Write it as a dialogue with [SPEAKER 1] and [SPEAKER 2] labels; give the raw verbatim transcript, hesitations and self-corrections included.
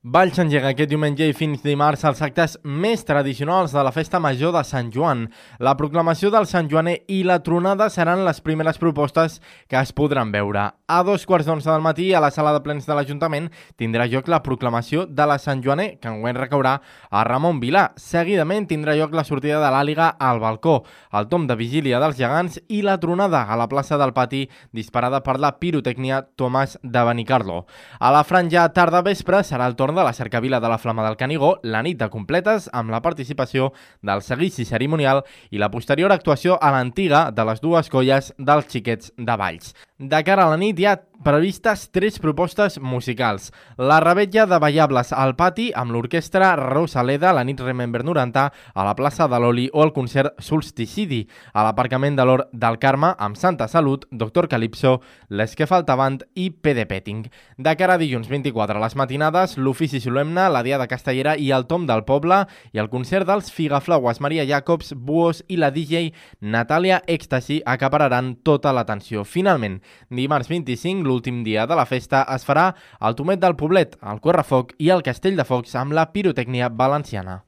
[SPEAKER 1] Valls s'engega aquest diumenge i fins dimarts els actes més tradicionals de la festa major de Sant Joan. La proclamació del Sant Joaner i la tronada seran les primeres propostes que es podran veure. A dos quarts d'onze del matí, a la sala de plens de l'Ajuntament, tindrà lloc la proclamació de la Sant Joaner, que enguany recaurà a Ramon Vilà. Seguidament tindrà lloc la sortida de l'Àliga al balcó, el tom de vigília dels gegants i la tronada a la plaça del Pati, disparada per la pirotècnia Tomàs de Benicarló. A la franja tarda-vespre serà el torn de la cercavila de la Flama del Canigó, la nit de completes amb la participació del seguici cerimonial i la posterior actuació a l'antiga de les dues colles dels Xiquets de Valls. De cara a la nit hi ha previstes tres propostes musicals. La revetlla de ballables al Pati amb l'orquestra Rosaleda, la nit Remember noranta a la plaça de l'Oli o el concert Solsticidi a l'aparcament de l'Hort del Carme amb Santa Salut, Doctor Calipso, Les que faltaven i P D Petting. De cara a dilluns vint-i-quatre a les matinades, l'ofici solemne, la Diada Castellera i el Tom del Poble i el concert dels Figaflaues, Maria Jacobs, Buos i la D J Natàlia Èxtasi acapararan tota l'atenció. Finalment, dimarts vint-i-cinc, l'últim dia de la festa, es farà el Tomet del Poblet, el Correfoc i el Castell de Focs amb la pirotècnia valenciana.